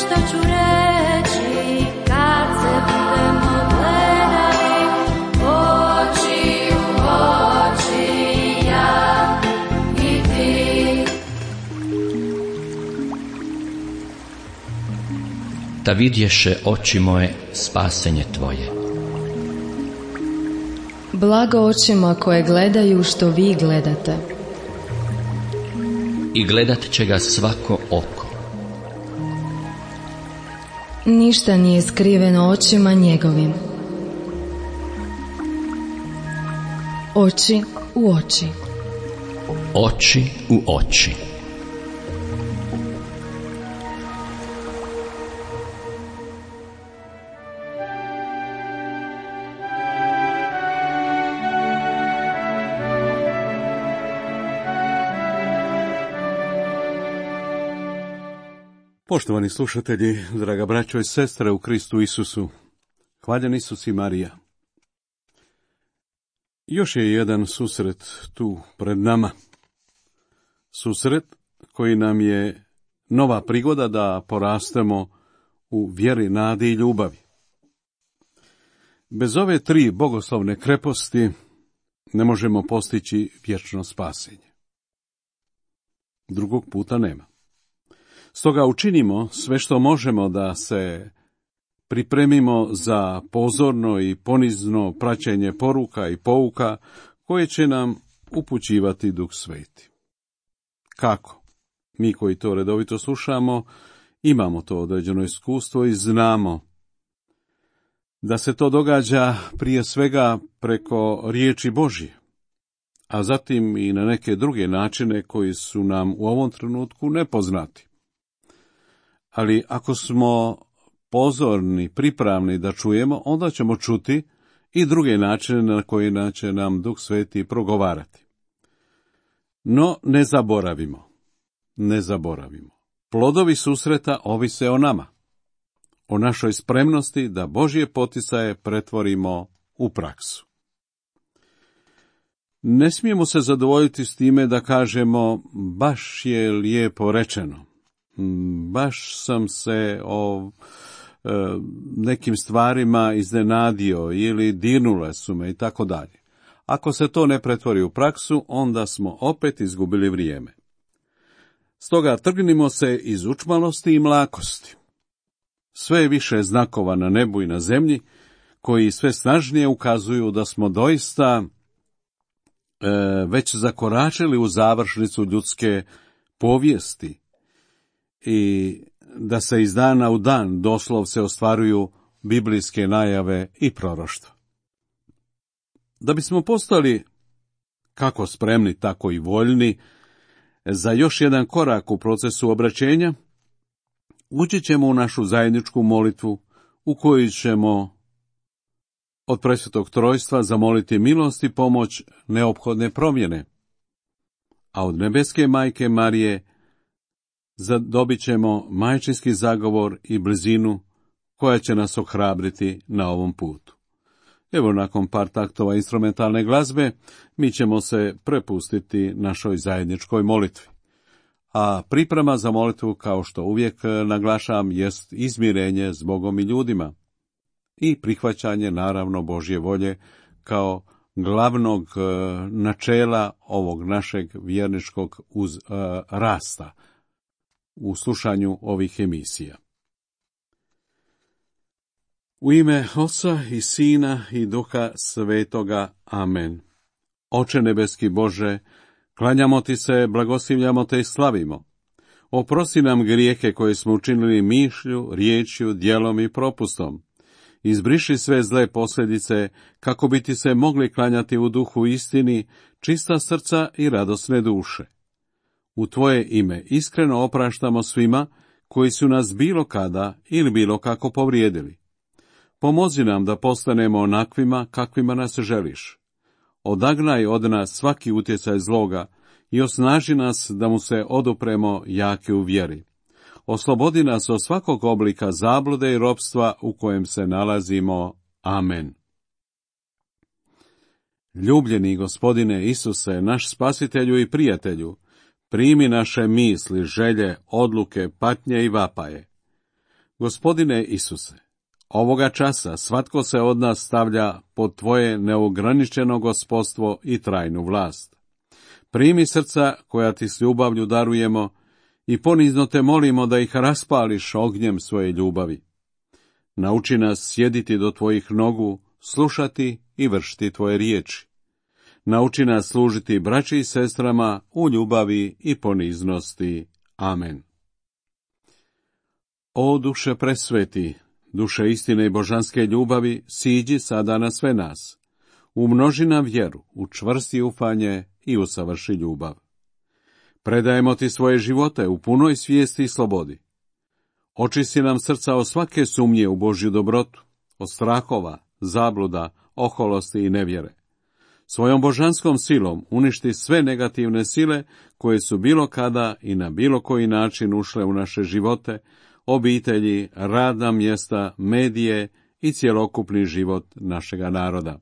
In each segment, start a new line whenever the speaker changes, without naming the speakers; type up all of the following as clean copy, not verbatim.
što ću reći kad se budemo gledali oči u oči, ja i ti.
Da vidješe oči moje spasenje tvoje.
Blago očima koje gledaju što vi gledate.
I gledat će ga svako oko.
Ništa nije skriveno očima njegovim. Oči u oči.
Oči u oči.
Poštovani slušatelji, draga braćo i sestre u Kristu Isusu, hvaljen Isus i Marija. Još je jedan susret tu pred nama. Susret koji nam je nova prigoda da porastemo u vjeri, nadi i ljubavi. Bez ove tri bogoslovne kreposti ne možemo postići vječno spasenje. Drugog puta nema. Stoga učinimo sve što možemo da se pripremimo za pozorno i ponizno praćenje poruka i pouka koje će nam upućivati Duh Sveti. Kako? Mi koji to redovito slušamo, imamo to određeno iskustvo i znamo da se to događa prije svega preko riječi Božje, a zatim i na neke druge načine koji su nam u ovom trenutku nepoznati. Ali ako smo pozorni, pripravni da čujemo, onda ćemo čuti i druge načine na koji će nam Duh Sveti progovarati. No, ne zaboravimo. Plodovi susreta ovise o nama, o našoj spremnosti da Božje poticaje pretvorimo u praksu. Ne smijemo se zadovoljiti s time da kažemo baš je lijepo rečeno. Baš sam se o nekim stvarima iznenadio ili dirnule su me i tako dalje. Ako se to ne pretvori u praksu, onda smo opet izgubili vrijeme. Stoga trgnimo se iz učmalosti i mlakosti. Sve je više znakova na nebu i na zemlji, koji sve snažnije ukazuju da smo doista već zakoračili u završnicu ljudske povijesti, i da se iz dana u dan doslovce ostvaruju biblijske najave i proroštva. Da bismo postali kako spremni, tako i voljni za još jedan korak u procesu obraćenja, ući ćemo u našu zajedničku molitvu u kojoj ćemo od Presvetog Trojstva zamoliti milost i pomoć neophodne promjene, a od nebeske Majke Marije zadobit ćemo majčinski zagovor i blizinu koja će nas ohrabriti na ovom putu. Evo, nakon par taktova instrumentalne glazbe, mi ćemo se prepustiti našoj zajedničkoj molitvi. A priprema za molitvu, kao što uvijek naglašavam, jest izmirenje s Bogom i ljudima i prihvaćanje, naravno, Božje volje kao glavnog načela ovog našeg vjerničkog rasta u slušanju ovih emisija. U ime Oca i Sina i Duha Svetoga. Amen. Oče nebeski Bože, klanjamo ti se, blagoslivljamo te i slavimo. Oprosti nam grijehe koje smo učinili mišlju, riječju, djelom i propustom. Izbriši sve zle posljedice, kako bi ti se mogli klanjati u duhu istini, čista srca i radosne duše. U tvoje ime iskreno opraštamo svima koji su nas bilo kada ili bilo kako povrijedili. Pomozi nam da postanemo onakvima kakvima nas želiš. Odagnaj od nas svaki utjecaj zloga i osnaži nas da mu se odupremo jaki u vjeri. Oslobodi nas od svakog oblika zablude i ropstva u kojem se nalazimo. Amen. Ljubljeni Gospodine Isuse, naš spasitelju i prijatelju, primi naše misli, želje, odluke, patnje i vapaje. Gospodine Isuse, ovoga časa svatko se od nas stavlja pod tvoje neograničeno gospodstvo i trajnu vlast. Primi srca koja ti s ljubavlju darujemo i ponizno te molimo da ih raspališ ognjem svoje ljubavi. Nauči nas sjediti do tvojih nogu, slušati i vršiti tvoje riječi. Nauči nas služiti braći i sestrama u ljubavi i poniznosti. Amen. O duše presveti, duše istine i božanske ljubavi, siđi sada na sve nas. Umnoži nam vjeru, učvrsti ufanje i usavrši ljubav. Predajemo ti svoje živote u punoj svijesti i slobodi. Očisti nam srca od svake sumnje u Božju dobrotu, od strahova, zabluda, oholosti i nevjere. Svojom božanskom silom uništi sve negativne sile koje su bilo kada i na bilo koji način ušle u naše živote, obitelji, radna mjesta, medije i cjelokupni život našega naroda.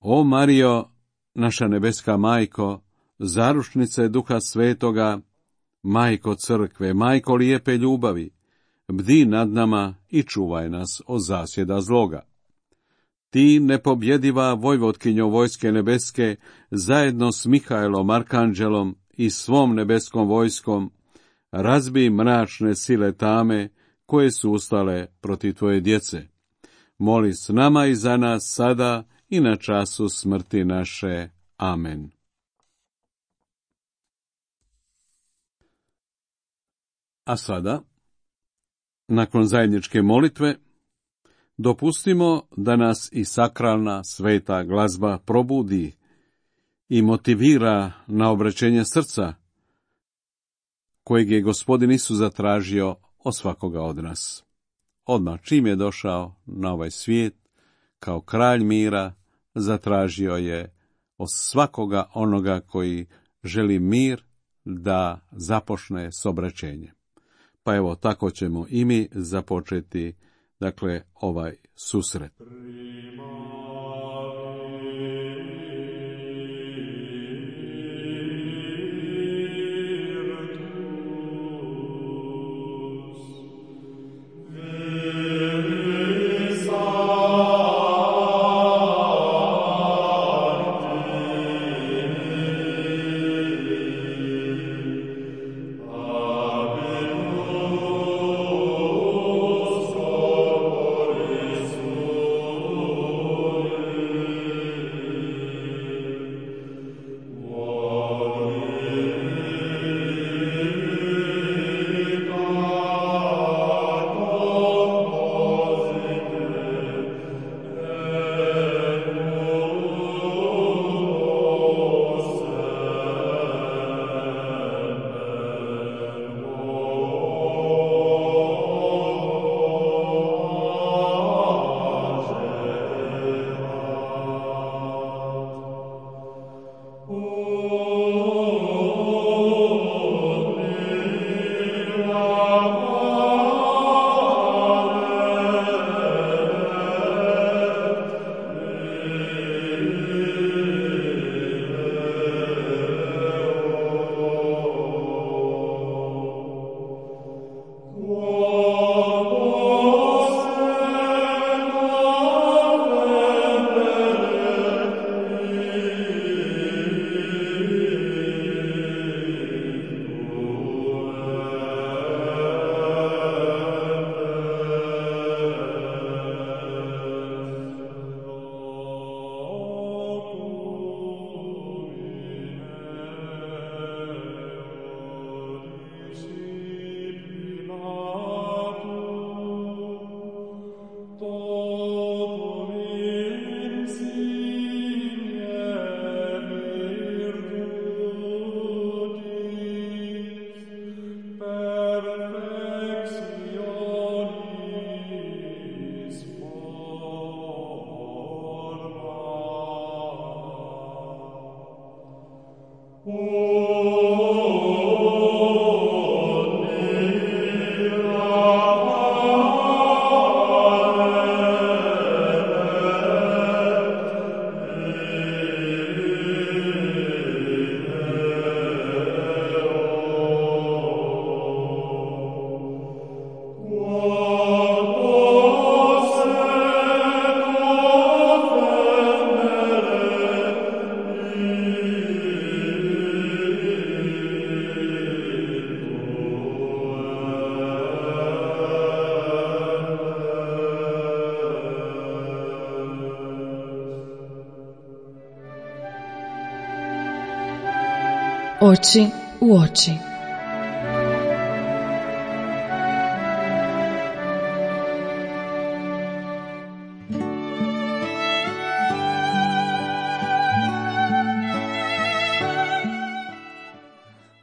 O Marijo, naša nebeska majko, zaručnice Duha Svetoga, majko crkve, majko lijepe ljubavi, bdi nad nama i čuvaj nas od zasjeda zloga. Ti, nepobjediva vojvotkinjo vojske nebeske, zajedno s Mihajlom, arkanđelom i svom nebeskom vojskom, razbij mračne sile tame koje su ustale protiv tvoje djece. Moli s nama i za nas sada i na času smrti naše. Amen. A sada, nakon zajedničke molitve, dopustimo da nas i sakralna sveta glazba probudi i motivira na obraćenje srca, kojeg je Gospodin Isus zatražio od svakoga od nas. Odmah čim je došao na ovaj svijet, kao kralj mira, zatražio je od svakoga onoga koji želi mir da započne s obraćenjem. Pa evo, tako ćemo i mi započeti, dakle, ovaj susret.
Oči u oči.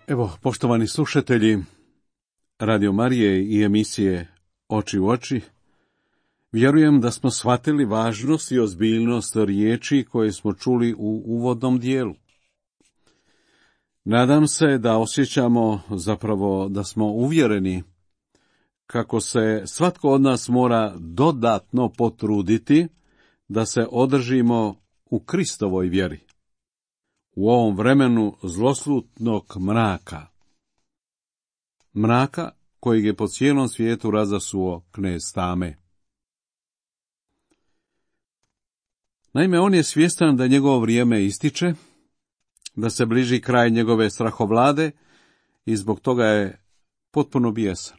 Evo, poštovani slušatelji Radio Marije i emisije Oči u oči, vjerujem da smo shvatili važnost i ozbiljnost riječi koje smo čuli u uvodnom dijelu. Nadam se da osjećamo, zapravo da smo uvjereni kako se svatko od nas mora dodatno potruditi da se održimo u Kristovoj vjeri, u ovom vremenu zloslutnog mraka. Mraka kojeg je po cijelom svijetu razasuo knez tame. Naime, on je svjestan da njegovo vrijeme ističe, da se bliži kraj njegove strahovlade i zbog toga je potpuno bijesan.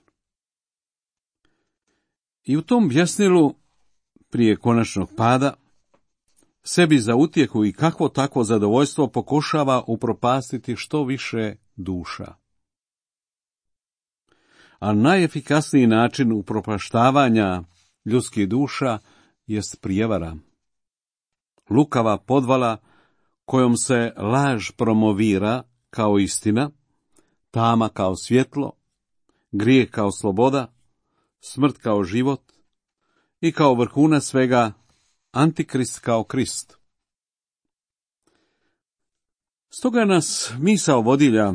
I u tom bjesnilu, prije konačnog pada, sebi za utjehu i kakvo takvo zadovoljstvo pokušava upropastiti što više duša. A najefikasniji način upropaštavanja ljudskih duša jest prijevara. Lukava podvala kojom se laž promovira kao istina, tama kao svjetlo, grijeh kao sloboda, smrt kao život i kao vrhunac svega Antikrist kao Krist. Stoga nas misao vodilja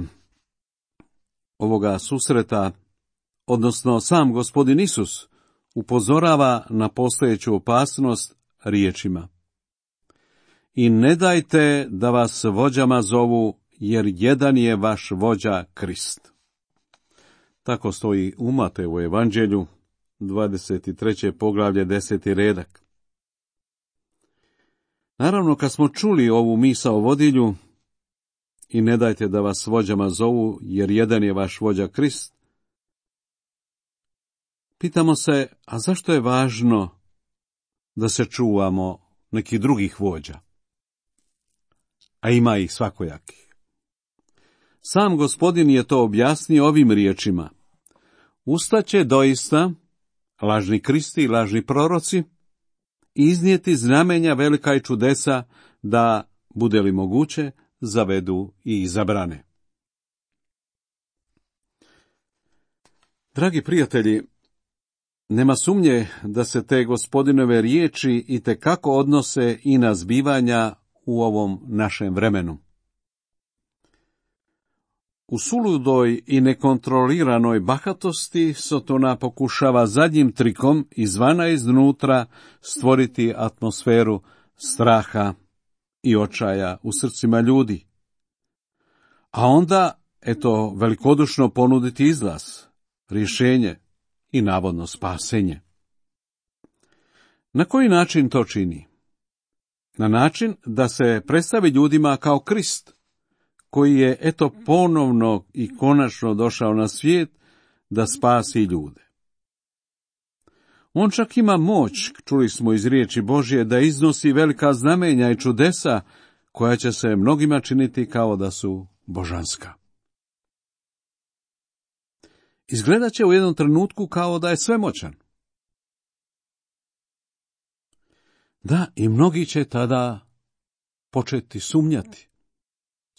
ovoga susreta, odnosno sam Gospodin Isus, upozorava na postojeću opasnost riječima: I ne dajte da vas vođama zovu, jer jedan je vaš vođa Krist. Tako stoji u Mateju evanđelju, 23. poglavlje, 10. redak. Naravno, kad smo čuli ovu misao vodilju, i ne dajte da vas vođama zovu, jer jedan je vaš vođa Krist, pitamo se, a zašto je važno da se čuvamo nekih drugih vođa? A ima ih svakojakih. Sam Gospodin je to objasnio ovim riječima: Ustaće doista lažni Kristi i lažni proroci, iznijeti znamenja velika i čudesa, da, bude li moguće, zavedu i zabrane. Dragi prijatelji, nema sumnje da se te Gospodinove riječi itekako odnose i na zbivanja u ovom našem vremenu. U suludoj i nekontroliranoj bahatosti Sotona pokušava zadnjim trikom izvana i iznutra stvoriti atmosferu straha i očaja u srcima ljudi. A onda, eto, velikodušno ponuditi izlaz, rješenje i navodno spasenje. Na koji način to čini? Na način da se predstavi ljudima kao Krist, koji je eto ponovno i konačno došao na svijet da spasi ljude. On čak ima moć, čuli smo iz riječi Božje, da iznosi velika znamenja i čudesa, koja će se mnogima činiti kao da su božanska. Izgledat će u jednom trenutku kao da je svemoćan. Da, i mnogi će tada početi sumnjati.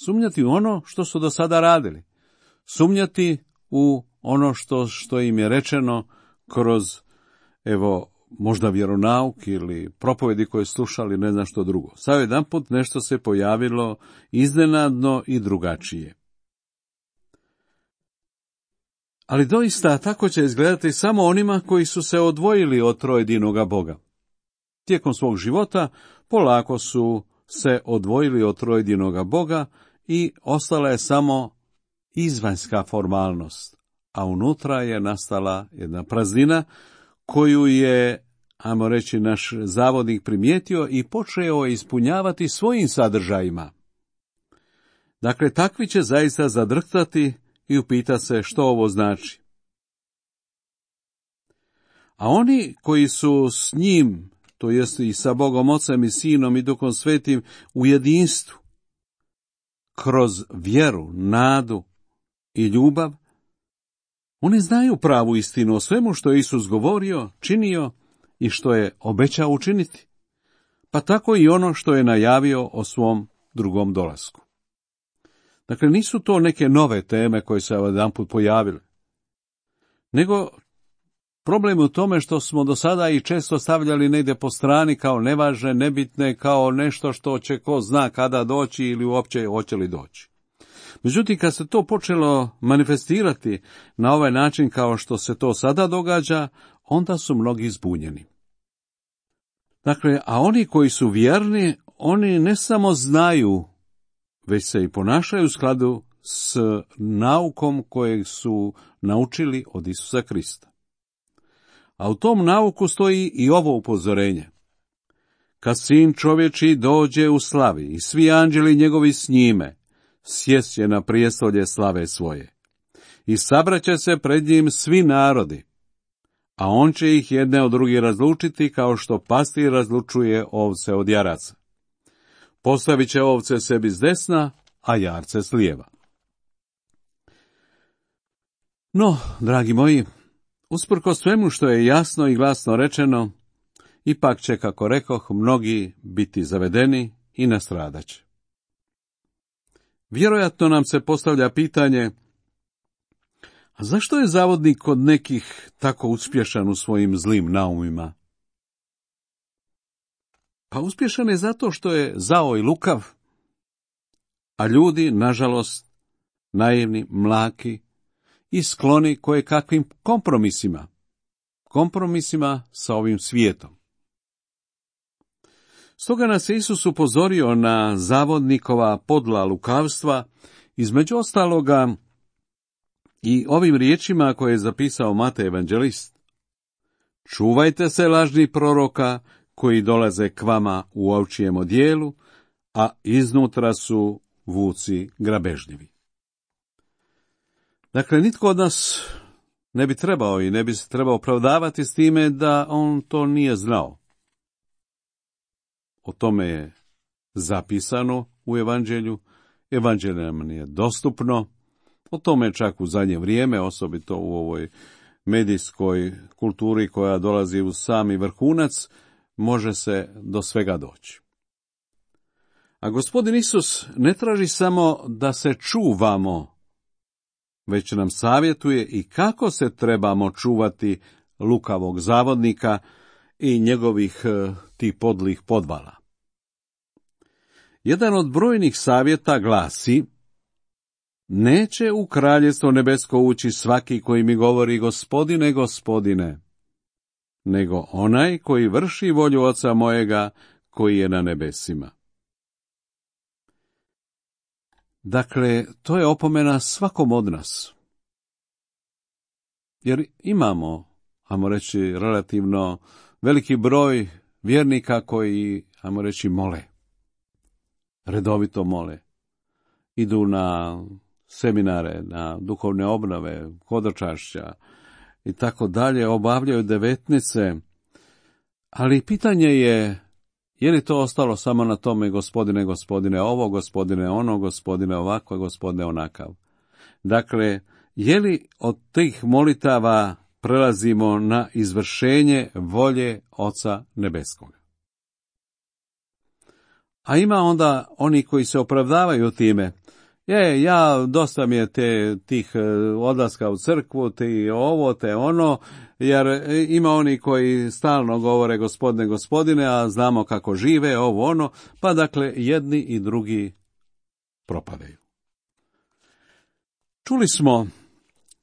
Sumnjati u ono što su do sada radili. Sumnjati u ono što im je rečeno kroz, evo, možda vjeronauk ili propovedi koje slušali, ne znam što drugo. Sad jedanput nešto se pojavilo iznenadno i drugačije. Ali doista tako će izgledati samo onima koji su se odvojili od trojedinoga Boga. Tijekom svog života polako su se odvojili od trojedinoga Boga i ostala je samo izvanjska formalnost, a unutra je nastala jedna praznina koju je, ajmo reći, naš zavodnik primijetio i počeo ispunjavati svojim sadržajima. Dakle, takvi će zaista zadrhtati i upitati se što ovo znači. A oni koji su s njim, to jest i sa Bogom Ocem i Sinom i Duhom Svetim u jedinstvu, kroz vjeru, nadu i ljubav, oni znaju pravu istinu o svemu što je Isus govorio, činio i što je obećao učiniti, pa tako i ono što je najavio o svom drugom dolasku. Dakle, nisu to neke nove teme koje se jedanput pojavile, nego problem je u tome što smo do sada i često stavljali negdje po strani kao nevažne, nebitne, kao nešto što će ko zna kada doći ili uopće hoće li doći. Međutim, kad se to počelo manifestirati na ovaj način kao što se to sada događa, onda su mnogi zbunjeni. Dakle, a oni koji su vjerni, oni ne samo znaju, već se i ponašaju u skladu s naukom kojeg su naučili od Isusa Krista. A u tom nauku stoji i ovo upozorenje. Kad sin čovječi dođe u slavi i svi anđeli njegovi s njime, sjest će na prijestolje slave svoje. I sabraće se pred njim svi narodi, a on će ih jedne od drugih razlučiti kao što pastir razlučuje ovce od jaraca. Postavit će ovce sebi s desna, a jarce s lijeva. No, dragi moji, usprkos svemu što je jasno i glasno rečeno, ipak će, kako rekoh, mnogi biti zavedeni i nastradaće. Vjerojatno nam se postavlja pitanje, a zašto je zavodnik kod nekih tako uspješan u svojim zlim naumima? Pa uspješan je zato što je zao i lukav, a ljudi, nažalost, naivni, mlaki i skloni koje kakvim kompromisima sa ovim svijetom. Stoga nas je Isus upozorio na zavodnikova podla lukavstva, između ostaloga i ovim riječima koje je zapisao Matej evanđelist. Čuvajte se lažnih proroka koji dolaze k vama u ovčijem odijelu, a iznutra su vuci grabežljivi. Dakle, nitko od nas ne bi trebao i ne bi se trebao opravdavati s time da on to nije znao. O tome je zapisano u evanđelju, evanđelje nam je dostupno, o tome čak u zadnje vrijeme, osobito u ovoj medijskoj kulturi koja dolazi u sami vrhunac, može se do svega doći. A Gospodin Isus ne traži samo da se čuvamo, već nam savjetuje i kako se trebamo čuvati lukavog zavodnika i njegovih tih podlih podvala. Jedan od brojnih savjeta glasi: neće u kraljevstvo nebesko ući svaki koji mi govori Gospodine, Gospodine, nego onaj koji vrši volju Oca mojega koji je na nebesima. Dakle, to je opomena svakom od nas. Jer imamo, ajmo reći, relativno veliki broj vjernika koji, ajmo reći, mole. Redovito mole. Idu na seminare, na duhovne obnove, hodočašća i tako dalje, obavljaju devetnice. Ali pitanje je li to ostalo samo na tome Gospodine, Gospodine ovo, Gospodine ono, Gospodine ovako, Gospodine onakav. Dakle, je li od tih molitava prelazimo na izvršenje volje Oca Nebeskoga? A ima onda oni koji se opravdavaju time. Ja dosta mi je tih odlaska u crkvu, ti ovo, te ono, jer ima oni koji stalno govore Gospodine, Gospodine, a znamo kako žive, ovo ono, pa dakle jedni i drugi propadaju. Čuli smo,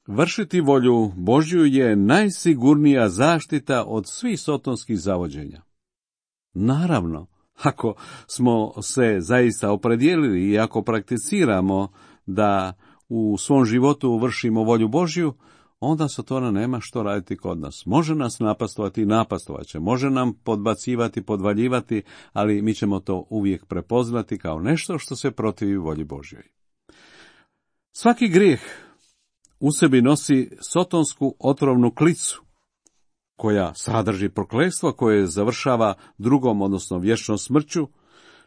vršiti volju Božju je najsigurnija zaštita od svih sotonskih zavođenja. Naravno, ako smo se zaista opredijelili i ako prakticiramo da u svom životu vršimo volju Božju, onda Satana nema što raditi kod nas. Može nas napastovati i napastovat će, može nam podbacivati, podvaljivati, ali mi ćemo to uvijek prepoznati kao nešto što se protivi volji Božjoj. Svaki grijeh u sebi nosi sotonsku otrovnu klicu, koja sadrži prokletstvo koje završava drugom, odnosno vječnom smrću,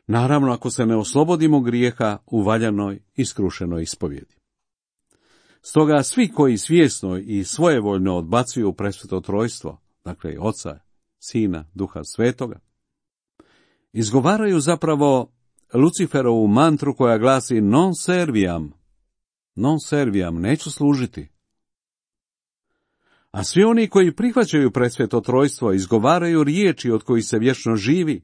Naravno, ako se ne oslobodimo grijeha u valjanoj i skrušenoj ispovjedi. Stoga svi koji svjesno i svojevoljno odbacuju presveto trojstvo, dakle Oca, Sina, Duha Svetoga, izgovaraju zapravo Luciferovu mantru koja glasi non serviam, neću služiti. A svi oni koji prihvaćaju presveto trojstvo izgovaraju riječi od kojih se vječno živi.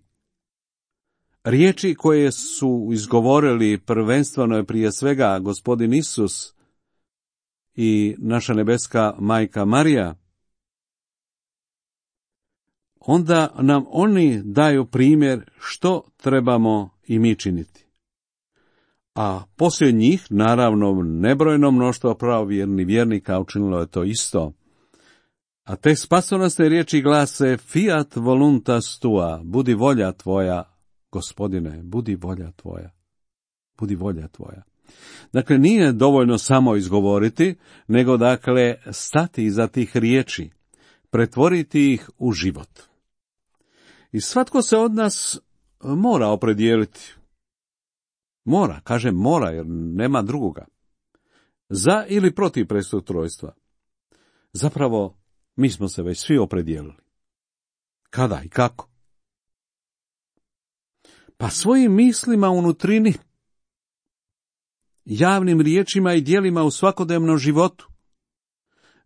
Riječi koje su izgovorili prvenstveno je prije svega Gospodin Isus i naša nebeska majka Marija. Onda nam oni daju primjer što trebamo i mi činiti. A poslije njih, naravno, nebrojno mnoštvo pravovjernih vjernika učinilo je to isto. A te spasonosne riječi glase fiat voluntas tua, budi volja tvoja, Gospodine, budi volja tvoja, budi volja tvoja. Dakle, nije dovoljno samo izgovoriti, nego dakle stati iza tih riječi, pretvoriti ih u život. I svatko se od nas mora opredijeliti. Mora, kažem mora, jer nema drugoga. Za ili protiv presvetog trojstva. Zapravo, mi smo se već svi opredijelili. Kada i kako? Pa svojim mislima unutrini, javnim riječima i djelima u svakodnevnom životu.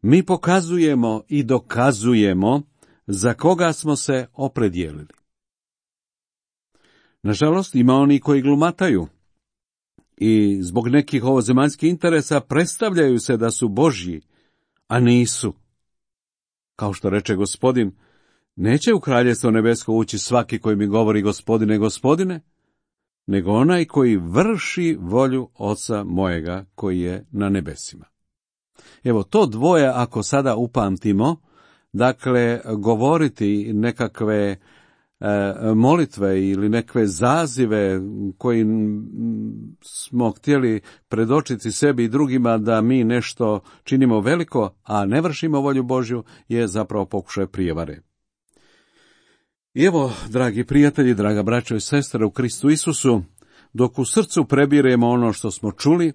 Mi pokazujemo i dokazujemo za koga smo se opredijelili. Nažalost, ima oni koji glumataju i zbog nekih ovozemaljskih interesa predstavljaju se da su Božji, a nisu. Kao što reče Gospodin, neće u kraljevstvo nebesko ući svaki koji mi govori Gospodine, Gospodine, nego onaj koji vrši volju Oca mojega koji je na nebesima. Evo, to dvoje, ako sada upamtimo, dakle, govoriti nekakve molitve ili nekakve zazive koji smo htjeli predočiti sebi i drugima da mi nešto činimo veliko, a ne vršimo volju Božju, je zapravo pokušaj prijevare. I evo, dragi prijatelji, draga braćo i sestre u Kristu Isusu, dok u srcu prebiremo ono što smo čuli,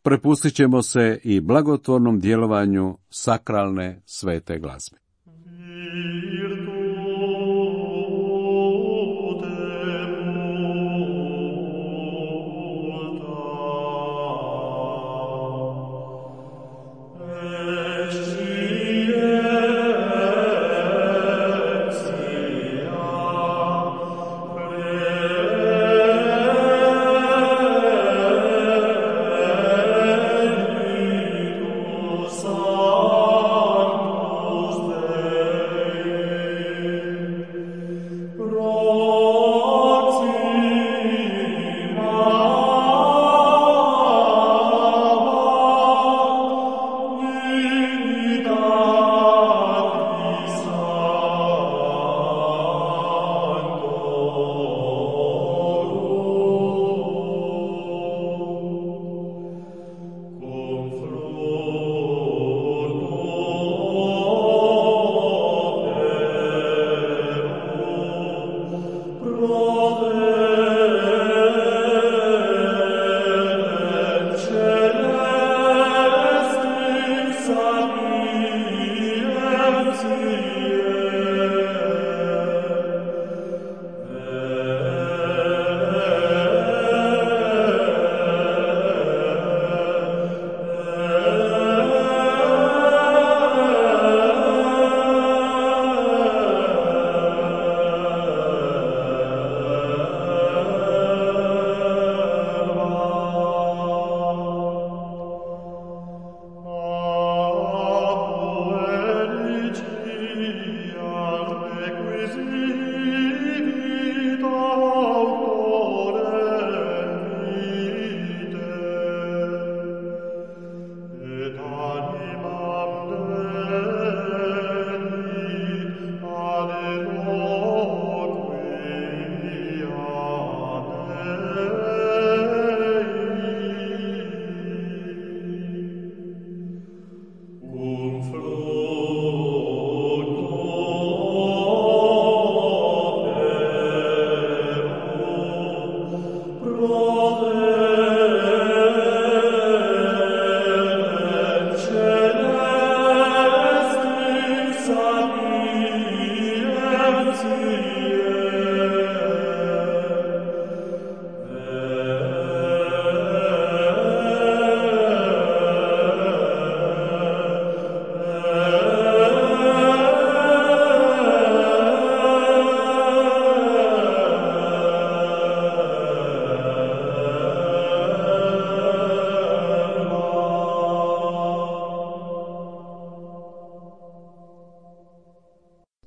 prepustit ćemo se i blagotvornom djelovanju sakralne svete glazbe.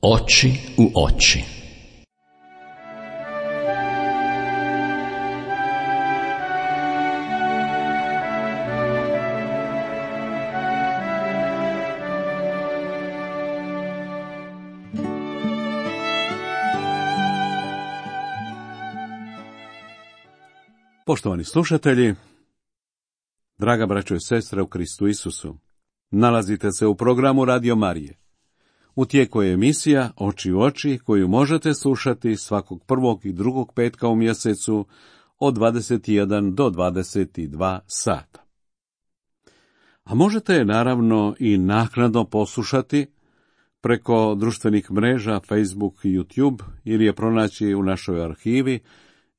Oči u oči.
Poštovani slušatelji, draga braćo i sestre u Kristu Isusu, nalazite se u programu Radio Marije. U tijeku je emisija Oči u oči, koju možete slušati svakog prvog i drugog petka u mjesecu od 21 do 22 sata. A možete je naravno i naknadno poslušati preko društvenih mreža Facebook i YouTube ili je pronaći u našoj arhivi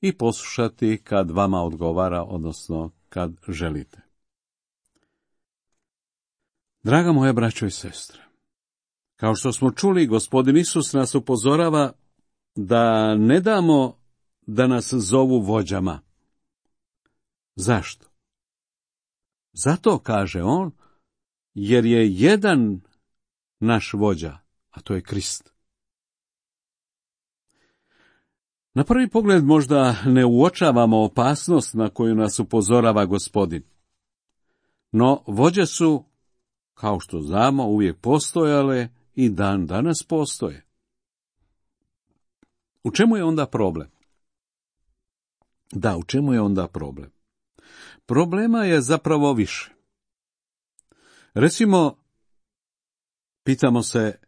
i poslušati kad vama odgovara, odnosno kad želite. Draga moja braćo i sestre, kao što smo čuli, Gospodin Isus nas upozorava da ne damo da nas zovu vođama. Zašto? Zato, kaže on, jer je jedan naš vođa, a to je Krist. Na prvi pogled možda ne uočavamo opasnost na koju nas upozorava Gospodin. No, vođe su, kao što znamo, uvijek postojale i dan danas postoje. U čemu je onda problem? Da, u čemu je onda problem? Problema je zapravo više. Recimo, pitamo se,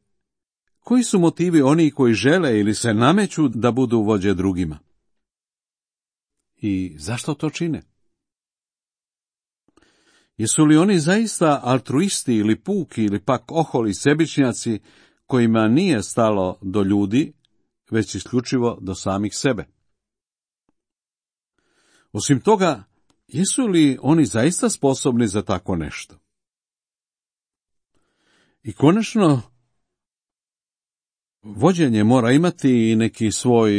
koji su motivi oni koji žele ili se nameću da budu vođe drugima? I zašto to čine? Jesu li oni zaista altruisti ili puki ili pak oholi sebičnjaci kojima nije stalo do ljudi, već isključivo do samih sebe? Osim toga, jesu li oni zaista sposobni za tako nešto? I konačno, vođenje mora imati i neki svoj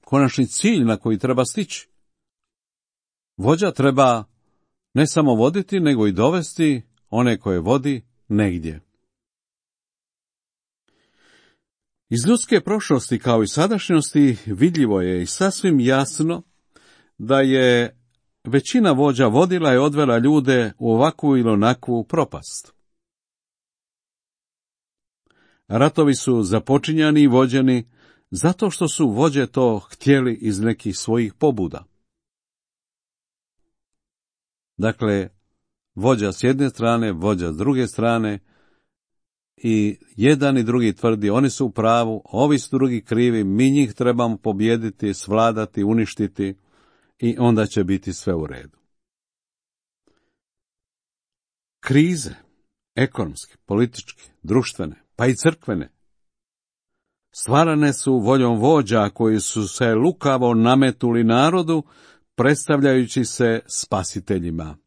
konačni cilj na koji treba stići. Vođa treba ne samo voditi, nego i dovesti one koje vodi negdje. Iz ljudske prošlosti kao i sadašnjosti vidljivo je i sasvim jasno da je većina vođa vodila i odvela ljude u ovakvu ili onakvu propast. Ratovi su započinjani i vođeni zato što su vođe to htjeli iz nekih svojih pobuda. Dakle, vođa s jedne strane, vođa s druge strane i jedan i drugi tvrdi oni su u pravu, ovi su drugi krivi, mi njih trebamo pobijediti, svladati, uništiti i onda će biti sve u redu. Krize, ekonomske, političke, društvene, pa i crkvene, stvarane su voljom vođa koji su se lukavo nametuli narodu, predstavljajući se spasiteljima.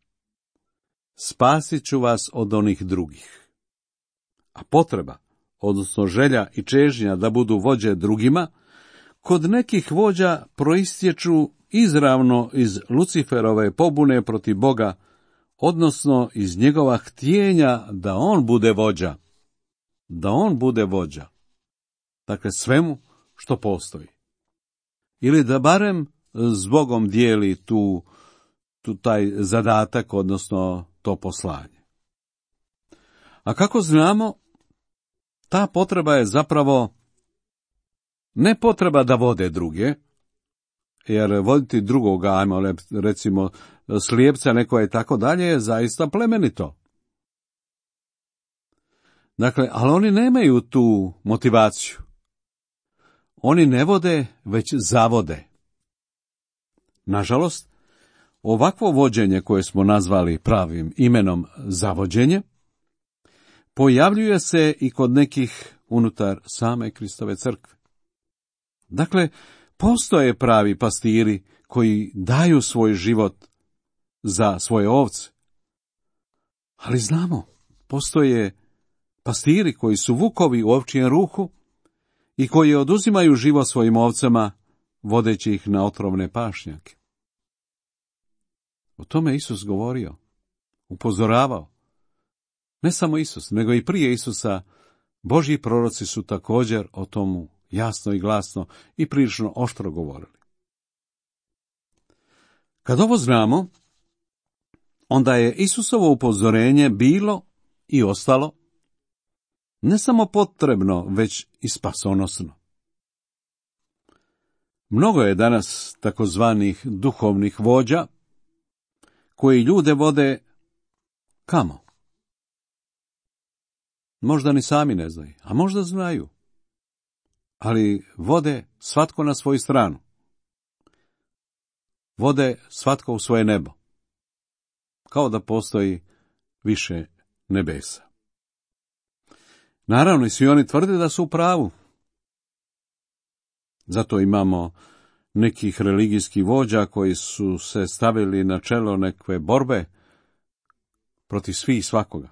Spasit ću vas od onih drugih. A potreba, odnosno želja i čežnja da budu vođe drugima, kod nekih vođa proistječu izravno iz Luciferove pobune protiv Boga, odnosno iz njegova htjenja da on bude vođa. Da on bude vođa. Dakle, svemu što postoji. Ili da barem s Bogom dijeli taj zadatak, odnosno to poslanje. A kako znamo, ta potreba je zapravo ne potreba da vode druge, jer voditi drugoga, ajmo recimo slijepca nekoga i tako dalje, je zaista plemenito. Dakle, ali oni nemaju tu motivaciju. Oni ne vode, već zavode. Nažalost, ovakvo vođenje koje smo nazvali pravim imenom zavođenje, pojavljuje se i kod nekih unutar same Kristove crkve. Dakle, postoje pravi pastiri koji daju svoj život za svoje ovce. Ali znamo, postoje pastiri koji su vukovi u ovčijem ruhu i koji oduzimaju život svojim ovcama, vodeći ih na otrovne pašnjake. O tome Isus govorio, upozoravao. Ne samo Isus, nego i prije Isusa Božji proroci su također o tomu jasno i glasno i prilično oštro govorili. Kad ovo znamo, onda je Isusovo upozorenje bilo i ostalo ne samo potrebno, već i spasonosno. Mnogo je danas takozvanih duhovnih vođa koji ljude vode kamo? Možda ni sami ne znaju, a možda znaju, ali vode svatko na svoju stranu. Vode svatko u svoje nebo, kao da postoji više nebesa. Naravno, i svi oni tvrde da su u pravu. Zato imamo nekih religijskih vođa koji su se stavili na čelo nekve borbe protiv svih i svakoga.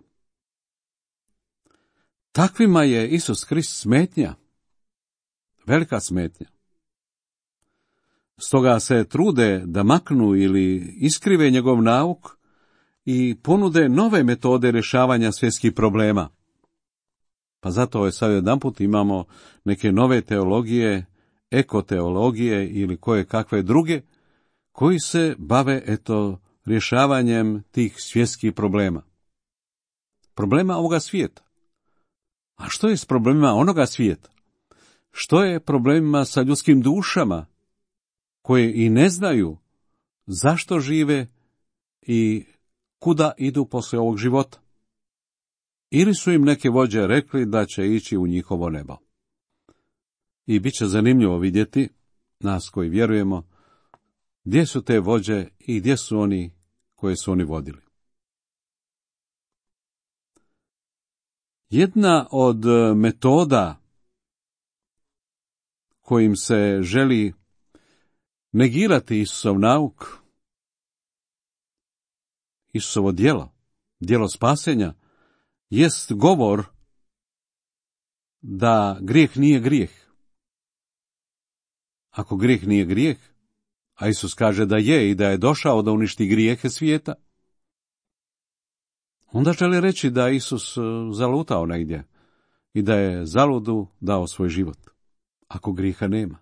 Takvima je Isus Krist smetnja, velika smetnja. Stoga se trude da maknu ili iskrive njegov nauk i ponude nove metode rješavanja svjetskih problema. Pa zato sad jedanput imamo neke nove teologije, ekoteologije ili koje kakve druge, koji se bave, rješavanjem tih svjetskih problema. Problema ovoga svijeta. A što je s problemima onoga svijeta? Što je problemima sa ljudskim dušama, koje i ne znaju zašto žive i kuda idu poslije ovog života? Ili su im neke vođe rekli da će ići u njihovo nebo? I bit će zanimljivo vidjeti, nas koji vjerujemo, gdje su te vođe i gdje su oni koje su oni vodili. Jedna od metoda kojim se želi negirati Isusov nauk, Isusovo djelo spasenja, jest govor da grijeh nije grijeh. Ako grijeh nije grijeh, a Isus kaže da je i da je došao da uništi grijehe svijeta, onda želi reći da Isus zalutao negdje i da je zaludu dao svoj život. Ako grijeha nema,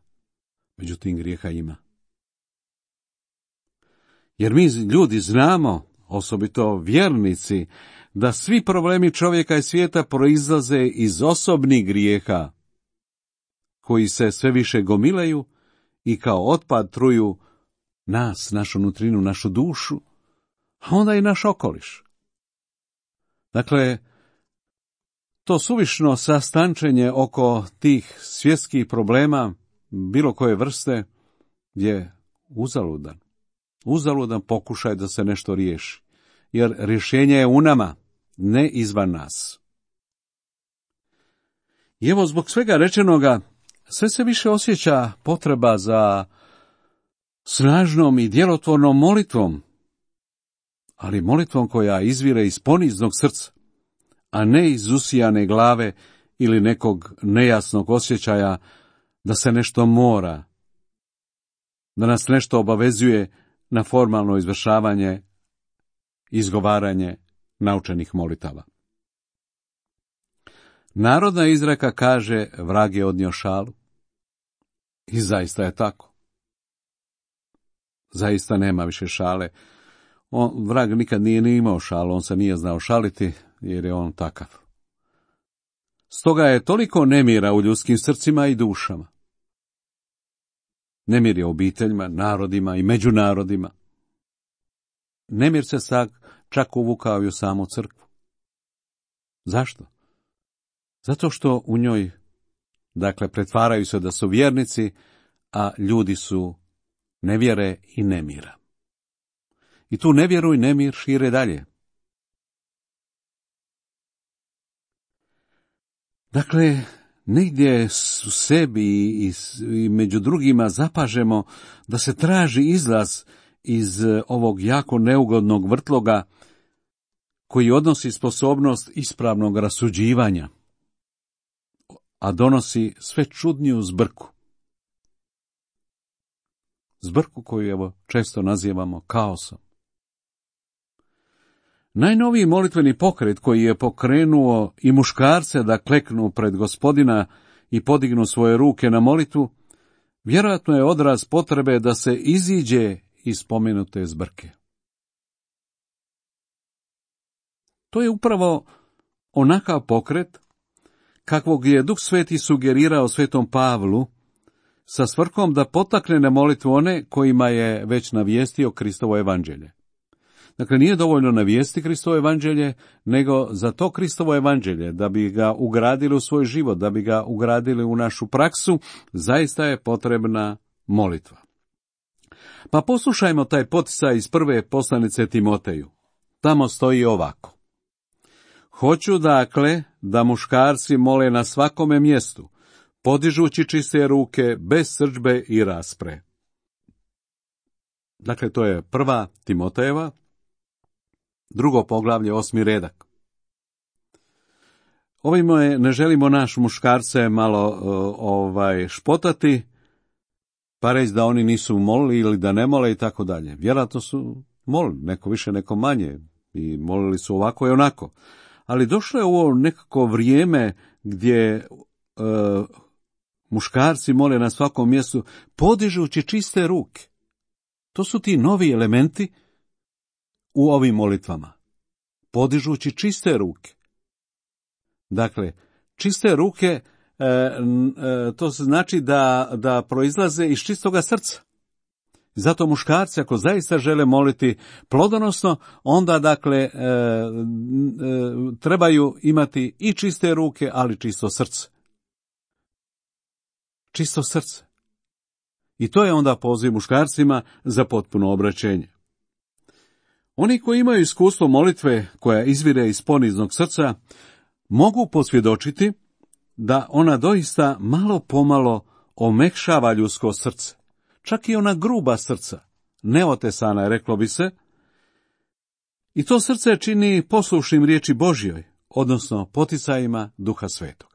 međutim grijeha ima. Jer mi ljudi znamo, osobito vjernici, da svi problemi čovjeka i svijeta proizlaze iz osobnih grijeha, koji se sve više gomilaju i kao otpad truju nas, našu nutrinu, našu dušu, a onda i naš okoliš. Dakle, to suvišno sastančenje oko tih svjetskih problema, bilo koje vrste, je uzaludan. Uzaludan pokušaj da se nešto riješi, jer rješenje je u nama, ne izvan nas. I evo, zbog svega rečenoga, sve se više osjeća potreba za snažnom i djelotvornom molitvom, ali molitvom koja izvire iz poniznog srca, a ne iz usijane glave ili nekog nejasnog osjećaja da se nešto mora, da nas nešto obavezuje na formalno izvršavanje, izgovaranje naučenih molitava. Narodna izreka kaže, vrag je odnio šalu. I zaista je tako. Zaista nema više šale. Vrag nikad nije ni imao šalu, on se nije znao šaliti, jer je on takav. Stoga je toliko nemira u ljudskim srcima i dušama. Nemir je u obiteljima, narodima i među narodima. Nemir se čak uvukao i u samu crkvu. Zašto? Zato što u njoj, pretvaraju se da su vjernici, a ljudi su nevjere i nemira. I tu nevjeru i nemir šire dalje. Dakle, negdje u sebi i među drugima zapažemo da se traži izlaz iz ovog jako neugodnog vrtloga koji odnosi sposobnost ispravnog rasuđivanja, a donosi sve čudniju zbrku. Zbrku koju često nazivamo kaosom. Najnoviji molitveni pokret koji je pokrenuo i muškarce da kleknu pred Gospodina i podignu svoje ruke na molitvu, vjerojatno je odraz potrebe da se iziđe iz spomenute zbrke. To je upravo onakav pokret kakvog je Duh Sveti sugerirao svetom Pavlu sa svrhom da potakne na molitvu one kojima je već navijestio Kristovo evanđelje. Dakle, nije dovoljno navijesti Kristovo evanđelje, nego za to Kristovo evanđelje, da bi ga ugradili u svoj život, da bi ga ugradili u našu praksu, zaista je potrebna molitva. Pa poslušajmo taj poticaj iz prve poslanice Timoteju. Tamo stoji ovako. Hoću dakle da muškarci mole na svakome mjestu, podižući čiste ruke, bez srdžbe i raspre. Dakle, to je 1. Timotejeva, 2. poglavlje, 8. redak. Ovime ne želimo naš muškarce malo špotati, pa reći da oni nisu molili ili da ne mole i tako dalje. Vjerojatno su molili, neko više, neko manje, i molili su ovako i onako. Ali došlo je ovo nekako vrijeme gdje muškarci mole na svakom mjestu, podižući čiste ruke. To su ti novi elementi u ovim molitvama. Podižući čiste ruke. Dakle, čiste ruke, to znači da proizlaze iz čistoga srca. Zato muškarci, ako zaista žele moliti plodonosno, onda dakle trebaju imati i čiste ruke, ali čisto srce. Čisto srce. I to je onda poziv muškarcima za potpuno obraćenje. Oni koji imaju iskustvo molitve koja izvire iz poniznog srca, mogu posvjedočiti da ona doista malo pomalo omekšava ljudsko srce. Čak i ona gruba srca, neotesana, reklo bi se, i to srce čini poslušnim riječi Božjoj, odnosno poticajima Duha Svetog.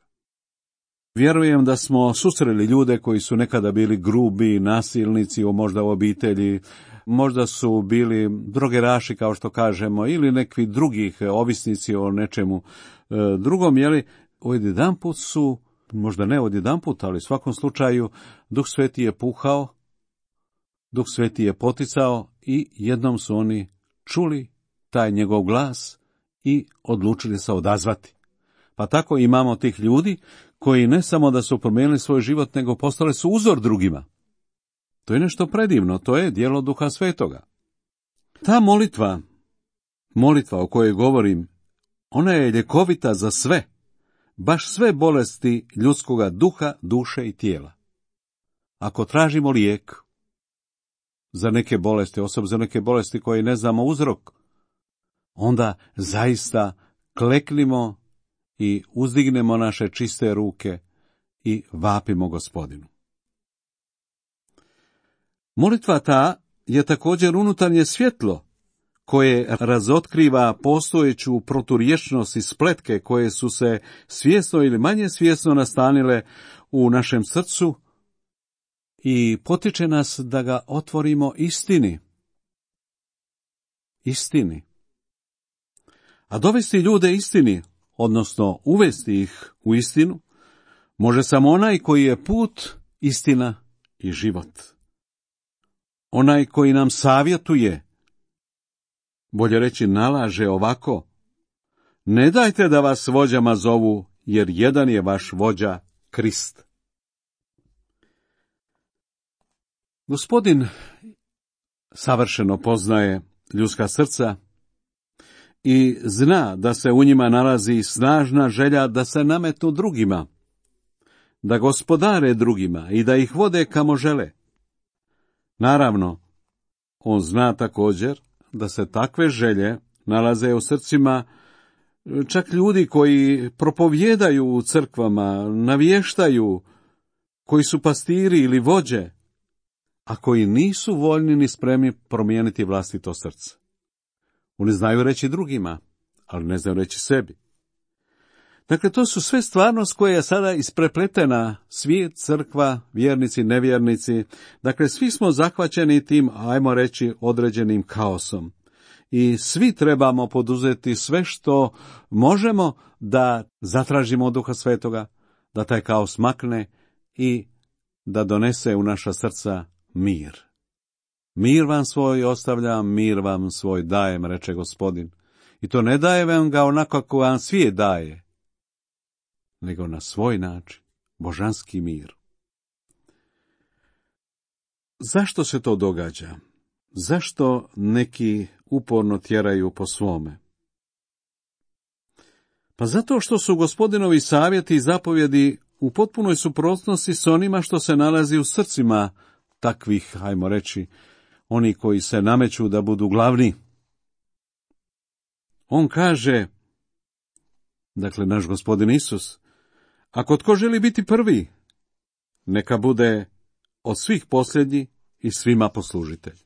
Vjerujem da smo susreli ljude koji su nekada bili grubi, nasilnici, možda u obitelji, možda su bili drogeraši, kao što kažemo, ili nekvi drugih ovisnici o nečemu drugom, jeli, odjedanput su, možda ne odjedanput, ali u svakom slučaju, Duh Sveti je puhao, Duh Sveti je poticao i jednom su oni čuli taj njegov glas i odlučili se odazvati. Pa tako imamo tih ljudi koji ne samo da su promijenili svoj život, nego postali su uzor drugima. To je nešto predivno, to je djelo Duha Svetoga. Ta molitva o kojoj govorim, ona je ljekovita za sve, baš sve bolesti ljudskoga duha, duše i tijela. Ako tražimo lijek za neke bolesti, osobno za neke bolesti koje ne znamo uzrok, onda zaista kleknimo i uzdignemo naše čiste ruke i vapimo Gospodinu. Molitva ta je također unutarnje svjetlo koje razotkriva postojeću proturječnost i spletke koje su se svjesno ili manje svjesno nastanile u našem srcu i potiče nas da ga otvorimo istini. Istini. A dovesti ljude istini, odnosno uvesti ih u istinu, može samo onaj koji je put, istina i život. Onaj koji nam savjetuje, bolje reći nalaže ovako: ne dajte da vas vođama zovu, jer jedan je vaš vođa, Krist. Gospodin savršeno poznaje ljudska srca i zna da se u njima nalazi snažna želja da se nametnu drugima, da gospodare drugima i da ih vode kamo žele. Naravno, on zna također da se takve želje nalaze u srcima čak ljudi koji propovijedaju u crkvama, navještaju, koji su pastiri ili vođe, a koji nisu voljni ni spremni promijeniti vlastito srce. Oni znaju reći drugima, ali ne znaju reći sebi. Dakle, to su sve stvarnost koja je sada isprepletena, svijet, crkva, vjernici, nevjernici. Dakle, svi smo zahvaćeni tim, ajmo reći, određenim kaosom. i svi trebamo poduzeti sve što možemo da zatražimo od Duha Svetoga, da taj kaos makne i da donese u naša srca mir. Mir vam svoj ostavljam, mir vam svoj dajem, reče Gospodin. I to ne daje vam ga onako kako vam svijet daje, nego na svoj način, božanski mir. Zašto se to događa? Zašto neki uporno tjeraju po svome? Pa zato što su Gospodinovi savjeti i zapovjedi u potpunoj suprotnosti s onima što se nalazi u srcima takvih, hajmo reći, oni koji se nameću da budu glavni. On kaže, dakle naš Gospodin Isus, ako tko želi biti prvi, neka bude od svih posljednji i svima poslužitelj.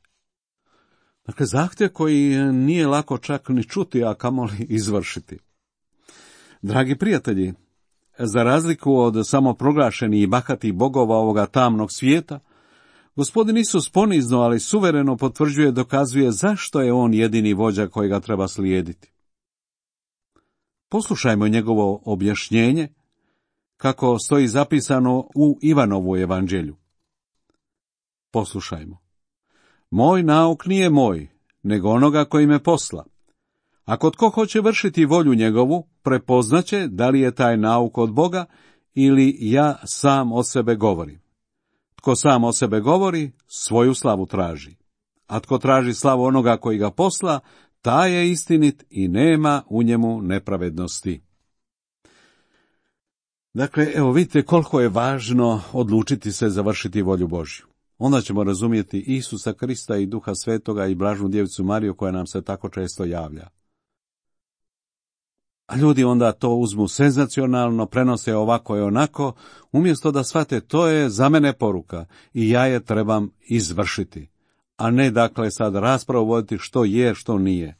Dakle, zahtjev koji nije lako čak ni čuti, a kamoli izvršiti. Dragi prijatelji, za razliku od samoproglašenih i bahatih bogova ovoga tamnog svijeta, Gospodin Isus ponizno, ali suvereno potvrđuje, dokazuje zašto je on jedini vođa kojega treba slijediti. Poslušajmo njegovo objašnjenje, kako stoji zapisano u Ivanovu evanđelju. Poslušajmo. Moj nauk nije moj, nego onoga koji me posla. Ako tko hoće vršiti volju njegovu, prepoznaće da li je taj nauk od Boga ili ja sam od sebe govorim. Tko sam od sebe govori, svoju slavu traži. A tko traži slavu onoga koji ga posla, taj je istinit i nema u njemu nepravednosti. Dakle, evo vidite koliko je važno odlučiti se završiti volju Božju. Onda ćemo razumjeti Isusa Krista i Duha Svetoga i Blažnu Djevicu Mariju koja nam se tako često javlja. A ljudi onda to uzmu senzacionalno, prenose ovako i onako, umjesto da shvate to je za mene poruka i ja je trebam izvršiti, a ne dakle sad raspravu voditi što je, što nije.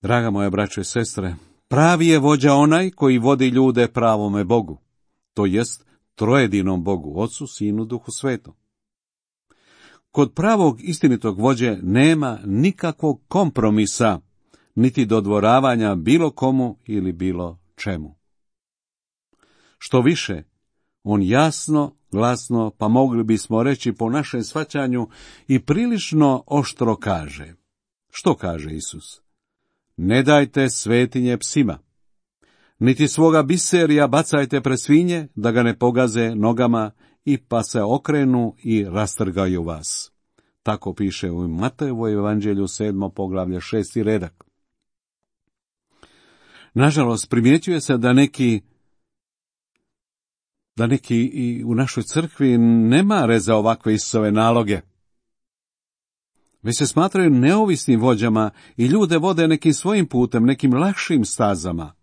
Draga moja braćo i sestre, pravi je vođa onaj koji vodi ljude pravome Bogu, to jest trojedinom Bogu, Otcu, Sinu, Duhu Svetom. Kod pravog istinitog vođe nema nikakvog kompromisa, niti dodvoravanja bilo komu ili bilo čemu. Što više, on jasno, glasno, pa mogli bismo reći po našem shvaćanju i prilično oštro kaže. Što kaže Isus? Ne dajte svetinje psima, niti svoga biserija bacajte pred svinje, da ga ne pogaze nogama i pa se okrenu i rastrgaju vas. Tako piše u Matejevu evanđelju 7. poglavlje 6. redak. Nažalost, primjećuje se da neki i u našoj crkvi ne mare za ovakve Isusove naloge. Već se smatraju neovisnim vođama i ljude vode nekim svojim putem, nekim lakšim stazama.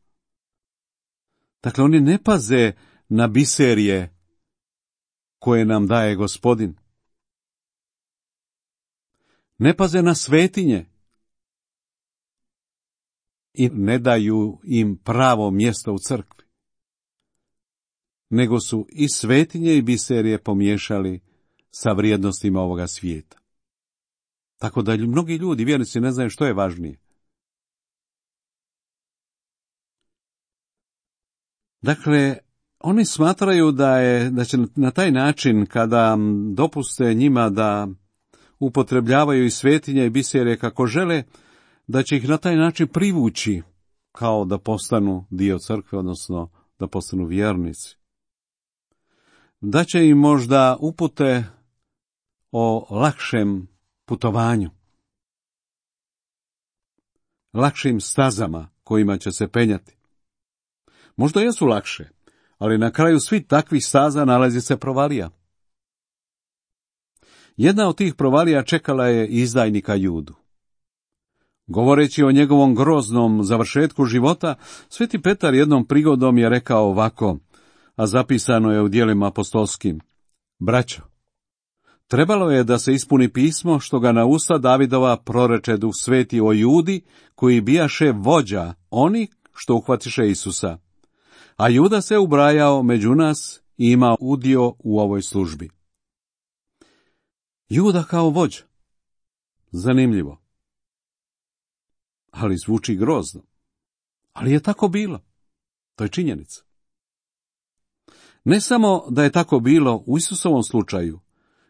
Dakle, oni ne paze na biserije koje nam daje Gospodin. Ne paze na svetinje i ne daju im pravo mjesto u crkvi. Nego su i svetinje i biserije pomiješali sa vrijednostima ovoga svijeta. Tako da mnogi ljudi, vjernici, ne znaju što je važnije. Dakle, oni smatraju da će na taj način, kada dopuste njima da upotrebljavaju i svetinje i biserije kako žele, da će ih na taj način privući kao da postanu dio crkve, odnosno da postanu vjernici. Da će im možda upute o lakšem putovanju, lakšim stazama kojima će se penjati. Možda jesu lakše, ali na kraju svih takvih staza nalazi se provalija. Jedna od tih provalija čekala je izdajnika Judu. Govoreći o njegovom groznom završetku života, Sveti Petar jednom prigodom je rekao ovako, a zapisano je u djelima apostolskim: Braćo, trebalo je da se ispuni pismo što ga na usta Davidova proroče Duh Sveti o Judi, koji bijaše vođa oni što uhvatiše Isusa. A Juda se ubrajao među nas i ima udio u ovoj službi. Juda kao vođa. Zanimljivo. Ali zvuči grozno. Ali je tako bilo. To je činjenica. Ne samo da je tako bilo u Isusovom slučaju,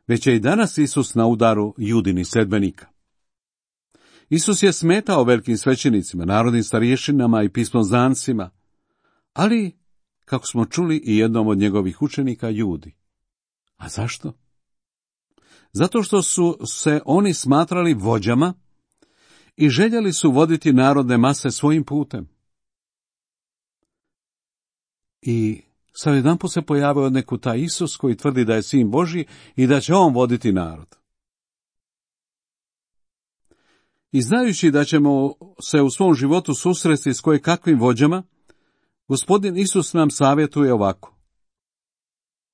već je i danas Isus na udaru Judinih sledbenika. Isus je smetao velikim svećenicima, narodnim starješinama i pismoznancima, ali, kako smo čuli, i jednom od njegovih učenika Judi. A zašto? Zato što su se oni smatrali vođama i željeli su voditi narodne mase svojim putem. I sad jedanput se pojavio od neku taj Isus koji tvrdi da je sin Božji i da će on voditi narod. I znajući da ćemo se u svom životu susresti s kojekakvim vođama, Gospodin Isus nam savjetuje ovako.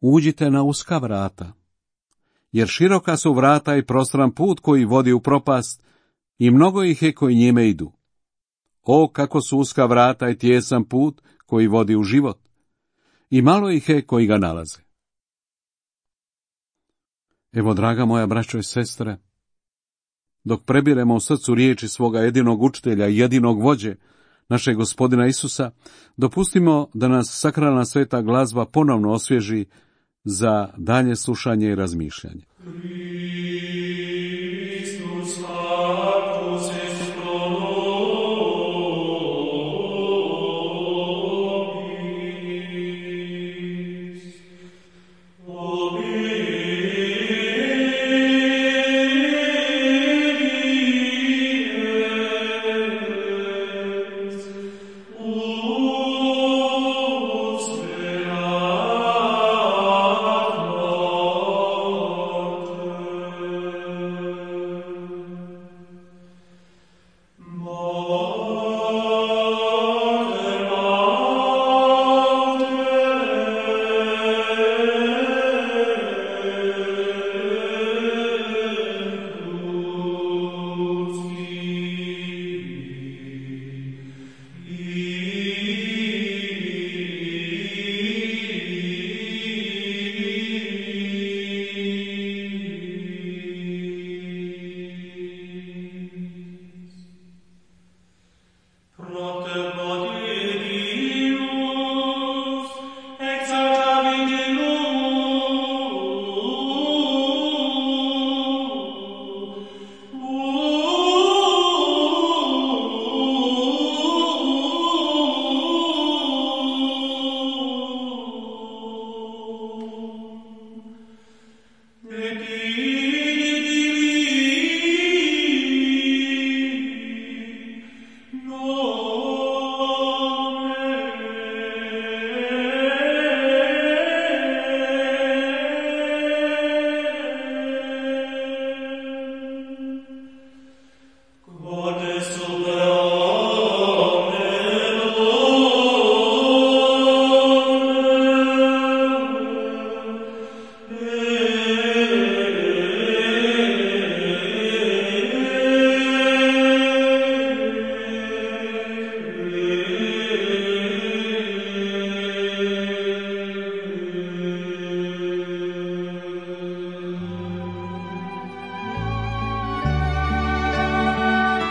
Uđite na uska vrata, jer široka su vrata i prostran put koji vodi u propast, i mnogo ih je koji njime idu. O, kako su uska vrata i tijesan put koji vodi u život, i malo ih je koji ga nalaze. Evo, draga moja braćo i sestre, dok prebiremo u srcu riječi svoga jedinog učitelja i jedinog vođe, našeg Gospodina Isusa, dopustimo da nas sakralna sveta glazba ponovno osvježi za dalje slušanje i razmišljanje.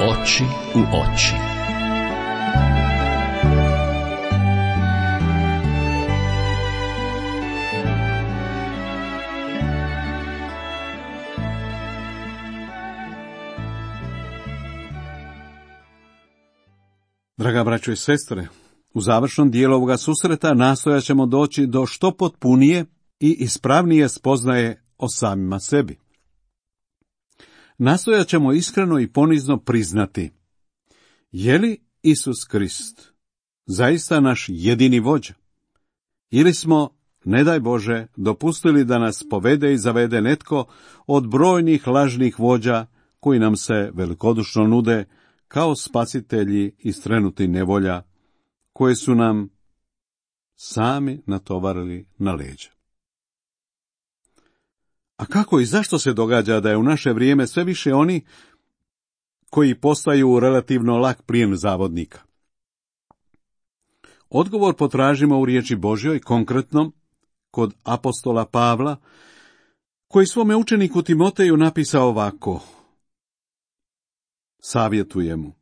Oči u oči.
Draga braćo i sestre, u završnom dijelu ovoga susreta nastojat ćemo doći do što potpunije i ispravnije spoznaje o samima sebi. Nastojat ćemo iskreno i ponizno priznati, je li Isus Krist zaista naš jedini vođa? Ili smo, ne daj Bože, dopustili da nas povede i zavede netko od brojnih lažnih vođa koji nam se velikodušno nude kao spasitelji iz trenutnih nevolja koje su nam sami natovarili na leđa. A kako i zašto se događa da je u naše vrijeme sve više oni koji postaju relativno lak plijen zavodnika? Odgovor potražimo u riječi Božjoj, konkretno kod apostola Pavla, koji svome učeniku Timoteju napisao ovako: savjetuje mu: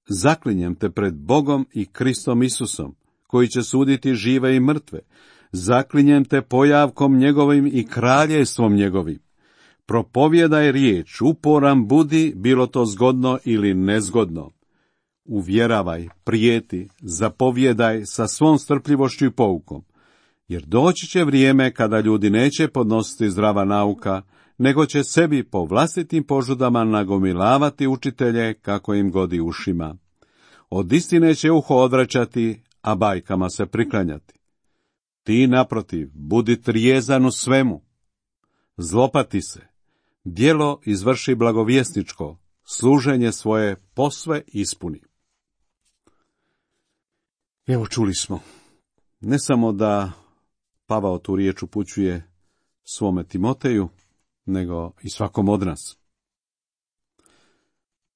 zaklinjem te pred Bogom i Kristom Isusom, koji će suditi žive i mrtve, zaklinjem te pojavkom njegovim i kraljevstvom njegovim. Propovjedaj riječ, uporan budi, bilo to zgodno ili nezgodno. Uvjeravaj, prijeti, zapovjedaj sa svom strpljivošću i poukom, jer doći će vrijeme kada ljudi neće podnositi zdrava nauka, nego će sebi po vlastitim požudama nagomilavati učitelje kako im godi ušima. Od istine će uho odvraćati, a bajkama se priklanjati. Ti, naprotiv, budi trijezan u svemu. Zlopati se, djelo izvrši blagovjesničko, služenje svoje posve ispuni. Evo, čuli smo, ne samo da Pavao tu riječ upućuje svome Timoteju, nego i svakom od nas.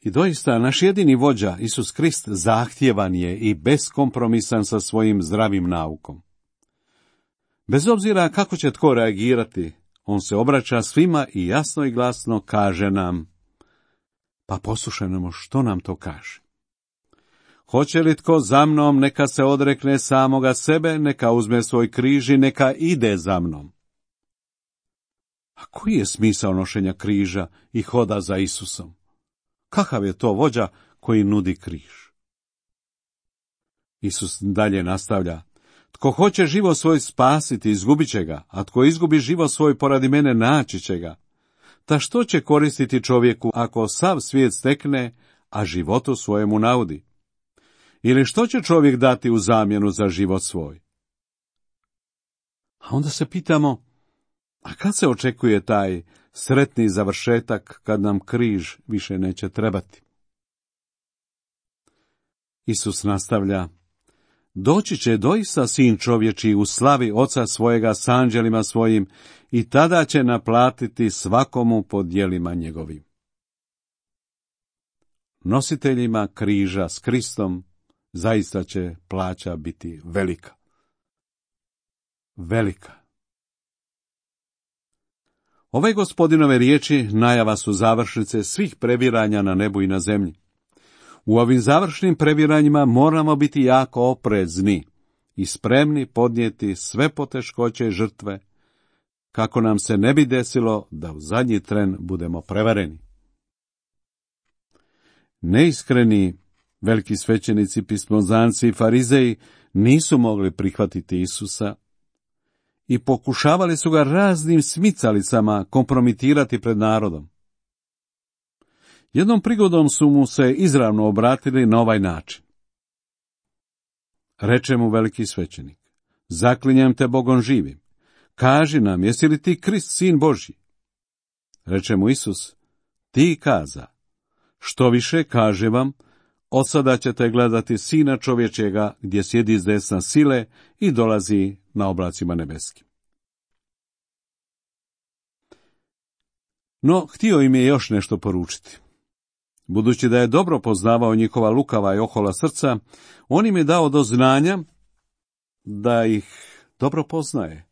I doista, naš jedini vođa, Isus Krist, zahtjevan je i beskompromisan sa svojim zdravim naukom. Bez obzira kako će tko reagirati, on se obraća svima i jasno i glasno kaže nam: pa poslušajmo što nam to kaže. Hoće li tko za mnom, neka se odrekne samoga sebe, neka uzme svoj križ i neka ide za mnom. A koji je smisao nošenja križa i hoda za Isusom? Kakav je to vođa koji nudi križ? Isus dalje nastavlja: tko hoće život svoj spasiti, izgubit će ga, a tko izgubi život svoj poradi mene, naći će ga. Ta što će koristiti čovjeku ako sav svijet stekne, a životu svojemu naudi? Ili što će čovjek dati u zamjenu za život svoj? A onda se pitamo, a kad se očekuje taj sretni završetak kad nam križ više neće trebati? Isus nastavlja: doći će doista sin čovječiji u slavi Oca svojega s anđelima svojim i tada će naplatiti svakomu po djelima njegovim. Nositeljima križa s Kristom zaista će plaća biti velika. Velika. Ove Gospodinove riječi najava su završnice svih prebiranja na nebu i na zemlji. U ovim završnim prebiranjima moramo biti jako oprezni i spremni podnijeti sve poteškoće i žrtve, kako nam se ne bi desilo da u zadnji tren budemo prevareni. Neiskreni veliki svećenici, pismozanci i farizeji nisu mogli prihvatiti Isusa i pokušavali su ga raznim smicalicama kompromitirati pred narodom. Jednom prigodom su mu se izravno obratili na ovaj način. Reče mu veliki svećenik: zaklinjem te Bogom živim, kaži nam, jesi li ti Krist, sin Božji? Reče mu Isus: ti kaza. Što više, kaže vam, od sada ćete gledati Sina čovječega gdje sjedi s desna sile i dolazi na oblacima nebeskim. No, htio im je još nešto poručiti. Budući da je dobro poznavao njihova lukava i ohola srca, on im je dao do znanja da ih dobro poznaje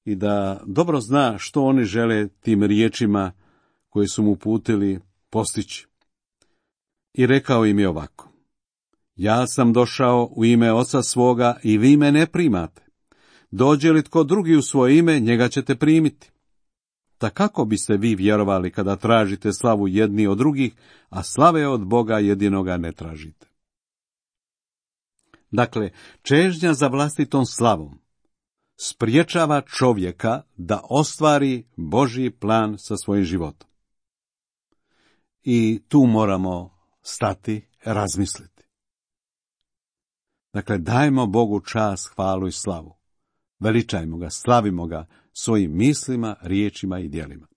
i da dobro zna što oni žele tim riječima koje su mu uputili postići. I rekao im je ovako: ja sam došao u ime Oca svoga i vi me ne primate. Dođe li tko drugi u svoje ime, njega ćete primiti. Ta kako biste vi vjerovali kada tražite slavu jedni od drugih, a slave od Boga jedinoga ne tražite? Dakle, čežnja za vlastitom slavom spriječava čovjeka da ostvari Božji plan sa svojim životom. I tu moramo stati, razmisliti. Dakle, dajmo Bogu čast, hvalu i slavu. Veličajmo ga, slavimo ga svojim mislima, riječima i djelima.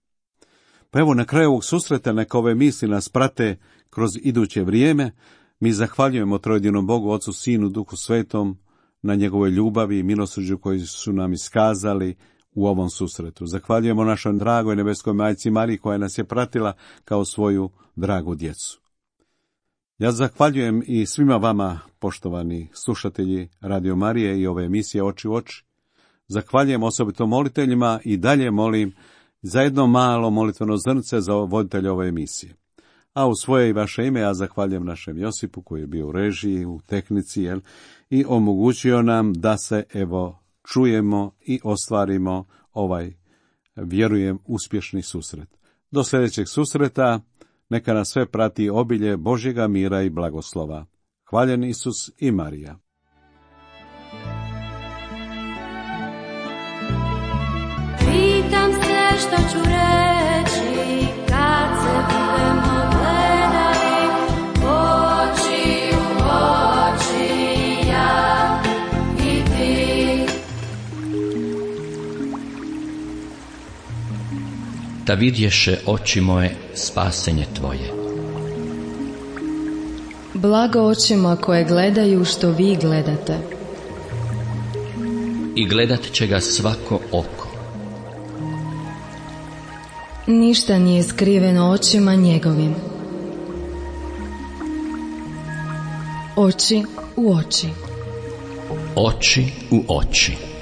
Pa evo, na kraju ovog susreta neka ove misli nas prate kroz iduće vrijeme. Mi zahvaljujemo trojedinom Bogu, Ocu, Sinu, Duhu Svetom, na njegovoj ljubavi i milosrđu koji su nam iskazali u ovom susretu. Zahvaljujemo našoj dragoj nebeskoj majci Mariji koja nas je pratila kao svoju dragu djecu. Ja zahvaljujem i svima vama, poštovani slušatelji Radio Marije i ove emisije Oči u oči. Zahvaljujem osobito moliteljima i dalje molim za jedno malo molitveno zrnce za voditelja ove emisije. A u svoje i vaše ime ja zahvaljujem našem Josipu koji je bio u režiji, u tehnici, i omogućio nam da se čujemo i ostvarimo ovaj, vjerujem, uspješni susret. Do sljedećeg susreta neka nas sve prati obilje Božjega mira i blagoslova. Hvaljen Isus i Marija.
Pitam se što ću reći kad se budemo gledali oči u oči, ja i ti.
Da vidješe oči moje spasenje tvoje.
Blago očima koje gledaju što vi gledate.
I gledat će ga svako oko.
Ništa nije skriveno očima njegovim. Oči u oči.
Oči u oči.